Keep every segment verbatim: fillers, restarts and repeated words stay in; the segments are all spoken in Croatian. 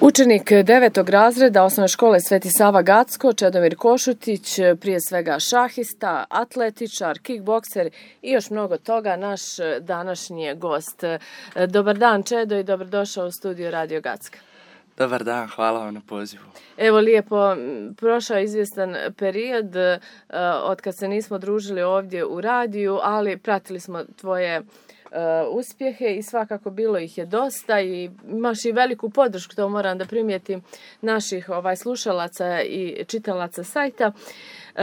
Učenik devetog razreda osnovne škole Sveti Sava Gacko, Čedomir Košutić, prije svega šahista, atletičar, kickbokser i još mnogo toga, naš današnji gost. Dobar dan, Čedo, i dobrodošao u studiju Radio Gacka. Dobar dan, hvala vam na pozivu. Evo lijepo, prošao izvjestan period od kad se nismo družili ovdje u radiju, ali pratili smo tvoje Uh, uspjehe i svakako bilo ih je dosta i imaš i veliku podršku, to moram da primijetim, naših ovaj, slušalaca i čitalaca sajta. Uh,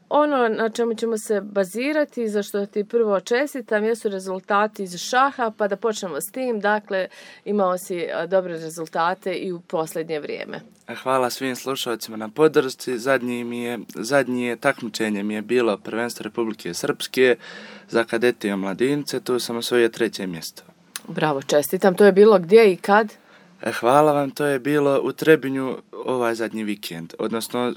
ono na čemu ćemo se bazirati, za što ti prvo čestitam, jesu rezultati iz šaha, pa da počnemo s tim. Dakle, imao si uh, dobre rezultate i u posljednje vrijeme. Hvala svim slušalcima na podršci. Zadnji mi je, zadnje takmičenje mi je bilo prvenstvo Republike Srpske za kadete i omladince, tu sam osvojio treće mjesto. Bravo, čestitam. To je bilo gdje i kad? Hvala vam, to je bilo u Trebinju ovaj zadnji vikend, odnosno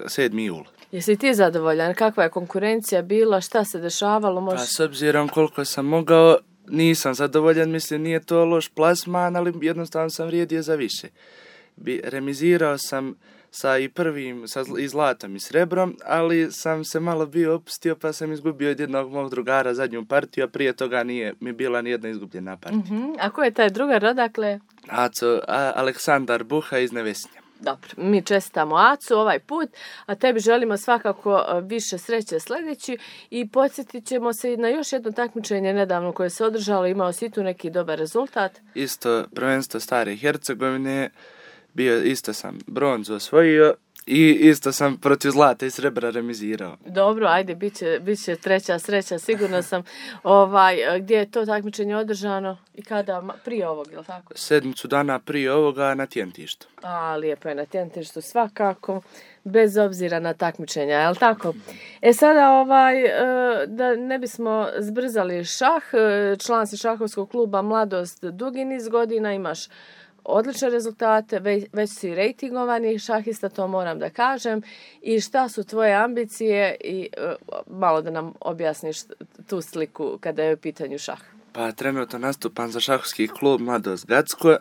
sedmi jul. Jesi ti zadovoljan? Kakva je konkurencija bila? Šta se dešavalo? Možeš... Pa s obzirom koliko sam mogao, nisam zadovoljan, mislim nije to loš plasman, ali jednostavno sam vrijedio za više. Bi, remizirao sam sa i prvim, sa i zlatom i srebrom, ali sam se malo bio opustio pa sam izgubio od jednog mog drugara zadnju partiju, a prije toga nije mi bila ni jedna izgubljena partija. Mm-hmm. A ko je taj drugar, odakle? Aco, a, Aleksandar Buha iz Nevesnja. Dobro, mi čestitamo Acu ovaj put, a tebi želimo svakako više sreće sljedeći i podsjetit ćemo se i na još jedno takmičenje nedavno koje se održalo, imao si tu neki dobar rezultat. Isto prvenstvo Stare Hercegovine, bio isto sam bronzu osvojio i isto sam protiv zlata i srebra remizirao. Dobro, ajde, bit će, bit će treća sreća, sigurno sam. Ovaj, gdje je to takmičenje održano i kada? Prije ovog, je li tako? Sedmicu dana prije ovoga na Tjentištu. A, lijepo je na Tjentištu svakako, bez obzira na takmičenja, je li tako? E sada, ovaj, da ne bismo zbrzali šah, član si šahovskog kluba Mladost dugi niz godina, imaš odlične rezultate, već, već si rejtingovani šahista, to moram da kažem. I šta su tvoje ambicije i uh, malo da nam objasniš tu sliku kada je u pitanju šah. Pa trenutno nastupam za šahovski klub Mladost Gacko. E,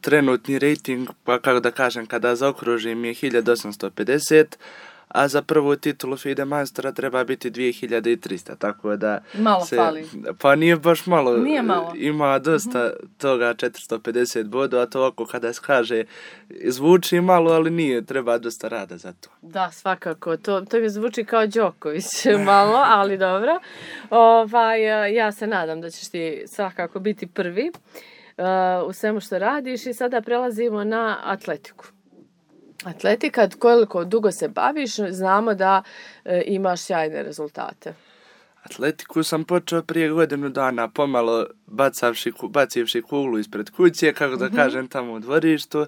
trenutni rejting, pa kako da kažem, kada zaokružim je hiljadu osamsto pedeset, a za prvu titulu FIDE Majstora treba biti dvije hiljade tristo, tako da... Malo se, fali. Pa nije baš malo. Nije malo. Ima dosta uh-huh. toga, četiristo pedeset bodova, a to ovako kada se kaže, zvuči malo, ali nije, treba dosta rada za to. Da, svakako, to, to mi zvuči kao Đoković malo, ali dobro. Ovaj, ja se nadam da ćeš ti svakako biti prvi uh, u svemu što radiš i sada prelazimo na atletiku. Atletika, koliko dugo se baviš, znamo da e, imaš sjajne rezultate. Atletiku sam počeo prije godinu dana, pomalo bacavši, bacivši kuglu ispred kuće, kako da mm-hmm. kažem, tamo u dvorištu.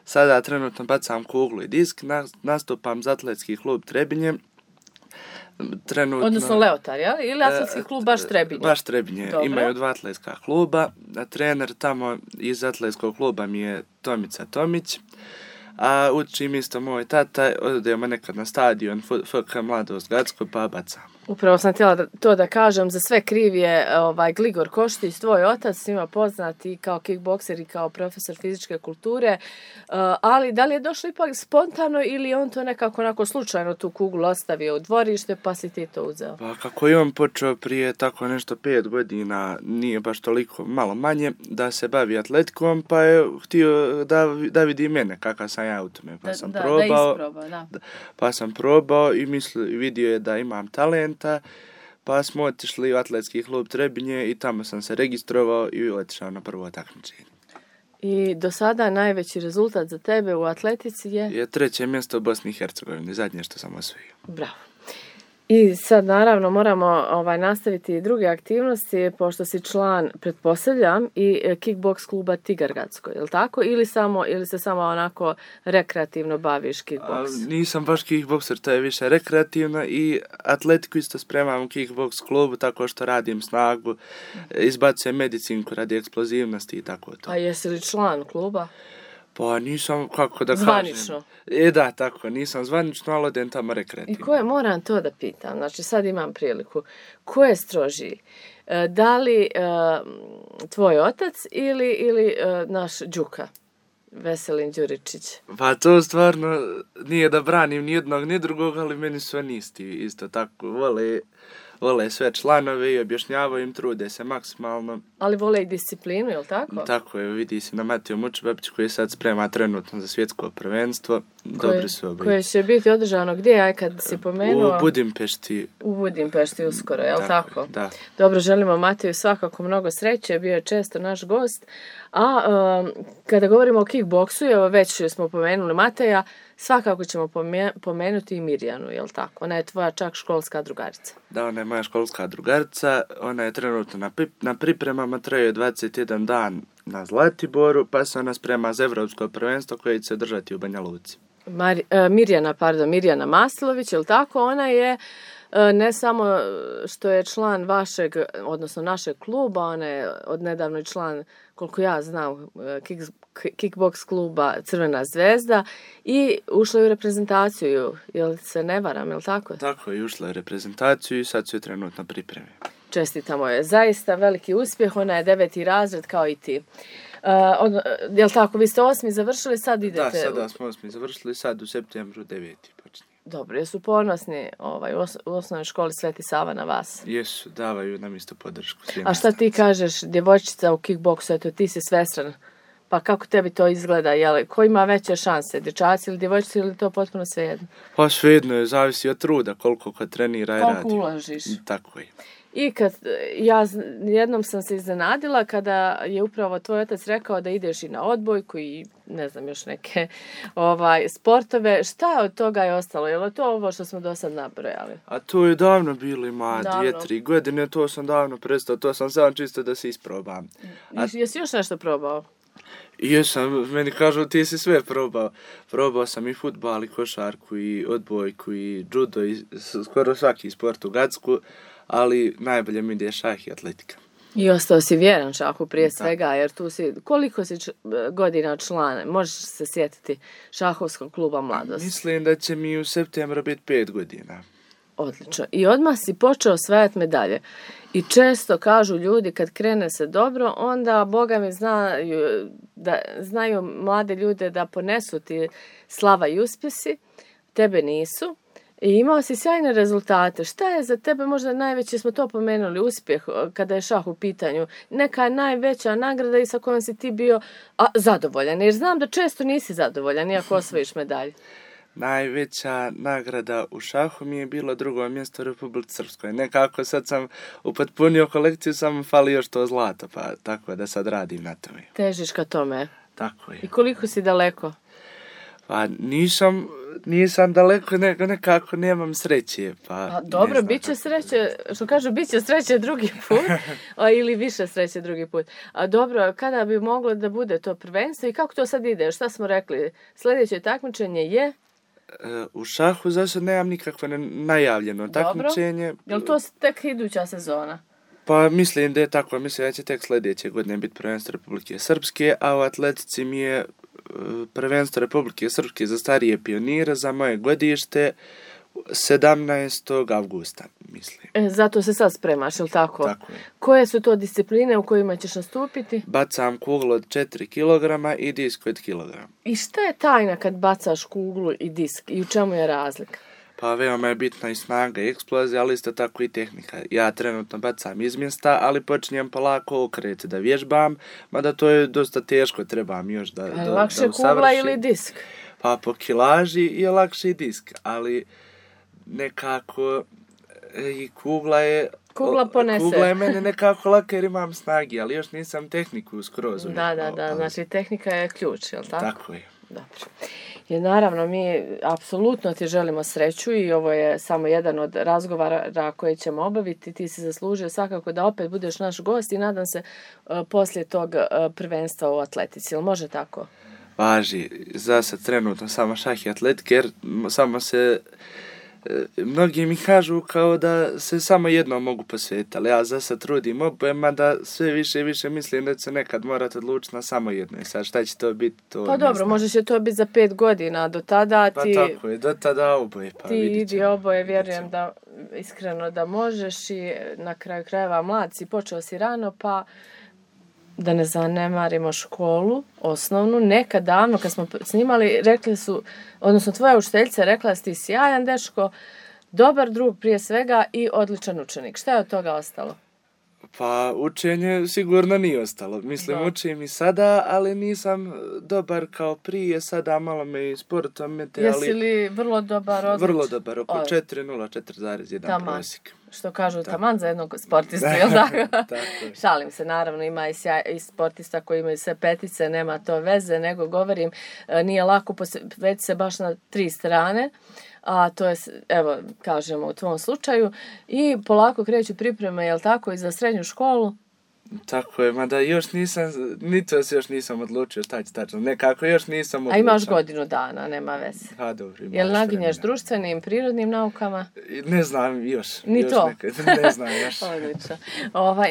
Sada trenutno bacam kuglu i disk, nastupam za atletski klub Trebinje. Trenutno, odnosno Leotar, ja? Ili atletski klub baš Trebinje? Baš Trebinje. Dobro. Imaju dva atletska kluba. Trener tamo iz atletskog kluba mi je Tomica Tomić. A učim isto moj tata, odemo nekad na stadion F K Mladost Gacko pa bacam. Upravo sam htjela da, to da kažem, za sve kriv je ovaj, Gligor Koštić, tvoj otac, svima poznat i kao kickbokser i kao profesor fizičke kulture, uh, ali da li je došlo ipak spontano ili on to nekako onako slučajno tu kuglu ostavio u dvorište pa si ti to uzeo? Pa kako je on počeo prije tako nešto pet godina, nije baš toliko, malo manje, da se bavi atletikom, pa je htio da, da vidi mene kakav sam ja u tome, pa da, sam da, probao, da isprobao, da. Pa sam probao i misli, vidio je da imam talent, pa smo otišli u atletski klub Trebinje i tamo sam se registrovao i otišao na prvo takmičenje. I do sada najveći rezultat za tebe u atletici je? Je treće mjesto u Bosni i Hercegovini, zadnje što sam osvojio. Bravo. I sad naravno moramo ovaj, nastaviti i druge aktivnosti, pošto si član, pretpostavljam, i kickboks kluba Tigar Gacko, je li tako? Ili, samo, ili se samo onako rekreativno baviš kickboks? A, nisam baš kickbokser, to je više rekreativno i atletiku isto spremam u kickboks klubu, tako što radim snagu, izbacujem medicinku radi eksplozivnosti i tako to. A jesi li član kluba? Pa nisam, kako da zvanično. Kažem. E da, tako, nisam zvanično, ali odem tamo rekreativno. I ko je, moram to da pitam, znači sad imam priliku, ko je strožiji? Da li uh, tvoj otac ili, ili uh, naš Đuka? Veselin Đuričić? Pa to stvarno nije da branim ni jednog ni drugog, ali meni su oni isti, isto tako, vole, vole sve članove i objašnjavaju im, trude se maksimalno. Ali vole i disciplinu, je li tako? Tako je, vidi se na Matiju Mučebabiću koji sad sprema trenutno za svjetsko prvenstvo. Koje, Dobri su obojice. Koje će biti održano gdje, aj kad si pomenuo? U Budimpešti. U Budimpešti uskoro, je li tako? tako? Da. Dobro, želimo Matiju svakako mnogo sreće, bio je često naš gost. A um, kada govorimo o kickboksu, evo već smo pomenuli Mateja, svakako ćemo pomenuti i Mirjanu, je li tako? Ona je tvoja čak školska drugarica. Da, ona je moja školska drugarica, ona je trenutno na, na pripremama, traje dvadeset jedan dan na Zlatiboru, pa se ona sprema za evropsko prvenstvo koje će se održati u Banja Luci. Mar, uh, Mirjana, pardon, Mirjana Maslović, je li tako? Ona je uh, ne samo što je član vašeg, odnosno našeg kluba, ona je odnedavno i član, koliko ja znam, uh, kick, kickbox kluba Crvena zvezda i ušla je u reprezentaciju, jel se ne varam, je li tako? Tako je, ušla je u reprezentaciju i sad su je trenutno pripreme. Čestitamo je, zaista veliki uspjeh, ona je deveti razred kao i ti. Uh, on, je li tako, vi ste osmi završili, sad idete? Da, sada smo osmi završili, sad u septembru deveti počinje. Dobro, jesu ponosni ovaj, u, os- u osnovnoj školi Sveti Sava na vas? Jesu, davaju nam isto podršku. A šta ti kažeš, djevojčica u kickboksu, eto ti si svestran, pa kako tebi to izgleda, jel, ko ima veće šanse, dječaci ili djevojčici ili to potpuno svejedno? Pa svejedno je, zavisi od truda, koliko ko trenira i radi. Koliko uložiš? Tako je. I kad, ja jednom sam se iznenadila kada je upravo tvoj otac rekao da ideš i na odbojku i ne znam još neke ovaj, sportove. Šta od toga je ostalo? Je li to ovo što smo do sad nabrojali? A to je davno bilo, ima dvije, tri godine, to sam davno prestao, to sam samo čisto da se isprobam. A... Jesi još nešto probao? Jesam, meni kažu ti si sve probao. Probao sam i fudbal, i košarku, i odbojku, i judo, i skoro svaki sport u Gacku, ali najbolje mi ide šah i atletika. I ostao si vjeran šahu prije svega, jer tu si, koliko si č- godina član, možeš se sjetiti šahovskog kluba Mladost? Mislim da će mi u septembru biti pet godina. Odlično. I odmah si počeo osvajati medalje. I često kažu ljudi kad krene se dobro, onda Boga mi znaju, da, znaju mlade ljude da ponesu ti slava i uspjesi, tebe nisu. I imao si sjajne rezultate. Šta je za tebe možda najveće, smo to pomenuli, uspjeh kada je šah u pitanju? Neka najveća nagrada i sa kojom si ti bio a, zadovoljan? Jer znam da često nisi zadovoljan iako osvojiš medalje. Najveća nagrada u šahu mi je bilo drugo mjesto u Republici Srpskoj. Nekako sad sam upotpunio kolekciju, samo fali još to zlato, pa tako da sad radim na tome. Težiš ka tome. Tako je. I koliko si daleko? Pa nisam, nisam daleko, nego nekako nemam sreće. Pa, A, dobro, bit će sreće, što kažu, bit će sreće drugi put, a, ili više sreće drugi put. A dobro, kada bi moglo da bude to prvenstvo i kako to sad ide? Šta smo rekli? Sljedeće takmičenje je? U šahu za sad nemam nikakvo najavljeno takmičenje. Je li to tek iduća sezona? Pa mislim da je tako, mislim da će tek sljedeće godine biti prvenstvo Republike Srpske, a u atletici mi je prvenstvo Republike Srpske za starije pionire za moje godište sedamnaestog avgusta, mislim. E, zato se sad spremaš, je li tako? Tako je. Koje su to discipline u kojima ćeš nastupiti? Bacam kuglu od četiri kilograma i disk od kilograma. I šta je tajna kad bacaš kuglu i disk i u čemu je razlika? Pa veoma je bitna i snaga i eksplozija, ali isto tako i tehnika. Ja trenutno bacam iz mjesta, ali počinjem polako okret da vježbam, mada to je dosta teško, trebam još da, da, lakše da usavršim. Kugla ili disk? Pa po kilaži je lakše i disk, ali nekako i kugla je... Kugla ponese. Kugla je mene nekako laka jer imam snagi, ali još nisam tehniku skroz. Da, da, da, znači tehnika je ključ, je li tako? Tako je. Dobro. I naravno, mi apsolutno ti želimo sreću i ovo je samo jedan od razgovara koje ćemo obaviti. Ti si zaslužio svakako da opet budeš naš gost i nadam se uh, poslije tog uh, prvenstva u atletici. Jel može tako? Važi. Za sad trenutno samo šah i atletika jer samo se... Mnogi mi kažu kao da se samo jedno mogu posvetiti, ali ja za sad trudim oboje, mada sve više i više mislim da će nekad morati odlučiti na samo jedno. I sad šta će to biti, to Pa dobro, znam. Može će to biti za pet godina, do tada ti... Pa tako je, do tada oboje, pa ti vidit ćemo. Ti idi oboje, vjerujem da iskreno da možeš i na kraju krajeva mlad si, počeo si rano, pa da ne zanemarimo školu, osnovnu. Nekad davno kad smo snimali, rekli su, odnosno tvoja učiteljica rekla da si ti sjajan dečko, dobar drug prije svega i odličan učenik. Šta je od toga ostalo? Pa učenje sigurno nije ostalo. Mislim, da. Učim i sada, ali nisam dobar kao prije. Sada malo me i sportom mete, ali... Jesi li vrlo dobar? Odlič? Vrlo dobar, oko četiri nula, četiri zarez jedan prosjek. Što kažu taman za jednog sportistu, jel tako? Šalim se, naravno, ima i, sjaj, i sportista koji imaju sve petice, nema to veze, nego govorim, nije lako posvetiti se baš na tri strane, a to je, evo, kažemo u tvom slučaju, i polako kreću pripreme, jel tako, i za srednju školu? Tako je, mada još nisam, ni to se još nisam odlučio šta će tačno, nekako još nisam odlučio. A imaš godinu dana, nema veze. Ha, dobro, imaš. Jel naginješ društvenim, prirodnim naukama? Ne znam još. Ni još to? Nekad, ne znam još. Odlično. Ovaj,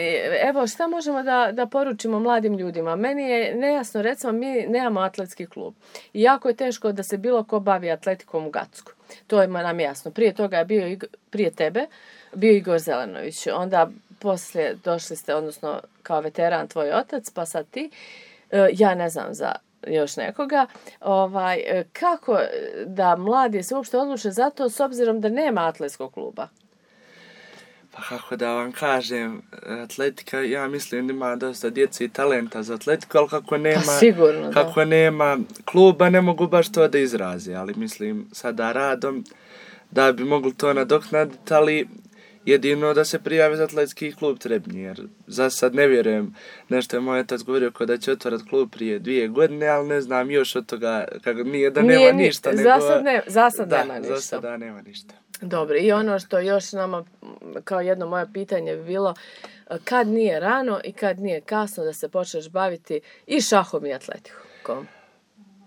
evo, šta možemo da, da poručimo mladim ljudima? Meni je nejasno, recimo, mi nemamo atletski klub. I jako je teško da se bilo ko bavi atletikom u Gacku. To je nam jasno. Prije toga je bio, prije tebe, bio Igor Zelenović. Onda poslije došli ste, odnosno kao veteran tvoj otac, pa sad ti. Ja ne znam za još nekoga. Ovaj, kako da mladi se uopšte odluče za to s obzirom da nema atletskog kluba? Pa kako da vam kažem, atletika, ja mislim da ima dosta djece i talenta za atletiku, ali kako nema, pa sigurno, kako nema kluba, ne mogu baš to da izraze, ali mislim sada radom da bi mogli to nadoknaditi, ali jedino da se prijave za atletski klub Trebnje, jer za sad ne vjerujem, nešto je moj otac govorio ko da će otvorati klub prije dvije godine, ali ne znam još od toga, kako nije da nema nije, ništa. Za nego, sad, ne, za sad da, nema ništa. Za sada nema ništa. Dobro, i ono što još nama, kao jedno moje pitanje bi bilo, kad nije rano i kad nije kasno da se počneš baviti i šahom i atletikom?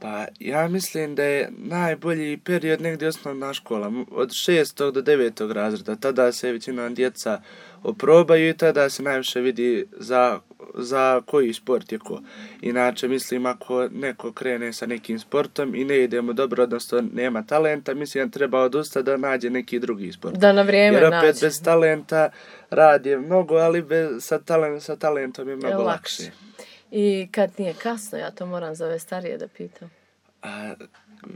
Pa ja mislim da je najbolji period negdje osnovna škola, od šestog do devetog razreda. Tada se većina djeca oprobaju i tada se najviše vidi za, za koji sport je ko. Inače, mislim, ako neko krene sa nekim sportom i ne ide mu dobro, odnosno nema talenta, mislim da treba odustati da nađe neki drugi sport. Da na vrijeme nađe. Jer opet nađe. Bez talenta rad je mnogo, ali bez, sa, talent, sa talentom je mnogo je lakše. I kad nije kasno, ja to moram za ove starije da pitam. A,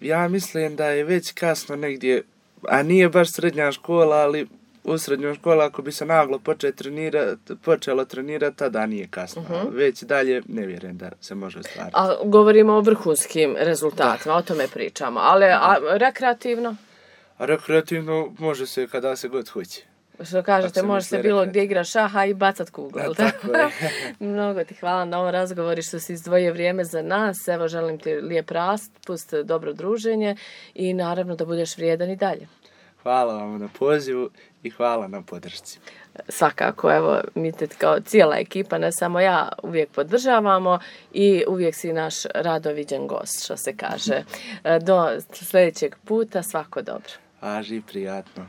ja mislim da je već kasno negdje, a nije baš srednja škola, ali u srednjoj školi ako bi se naglo trenirati, počelo trenirati, tada nije kasno. Uh-huh. Već dalje ne vjerujem da se može ostvariti. A govorimo o vrhunskim rezultatima, da. O tome pričamo, ali a, rekreativno? A rekreativno može se kada se god hoće. Što kažete, može se bilo gdje igra šaha i bacat kuglu. Da, tako je. Mnogo ti hvala na ovom razgovoru što si izdvojio vrijeme za nas. Evo, želim ti lijep raspust, dobro druženje i naravno da budeš vrijedan i dalje. Hvala vam na pozivu i hvala na podršci. Svakako, evo, mi te kao cijela ekipa, ne samo ja, uvijek podržavamo i uvijek si naš rado viđen gost, što se kaže. Do sljedećeg puta, svako dobro. Važi, prijatno.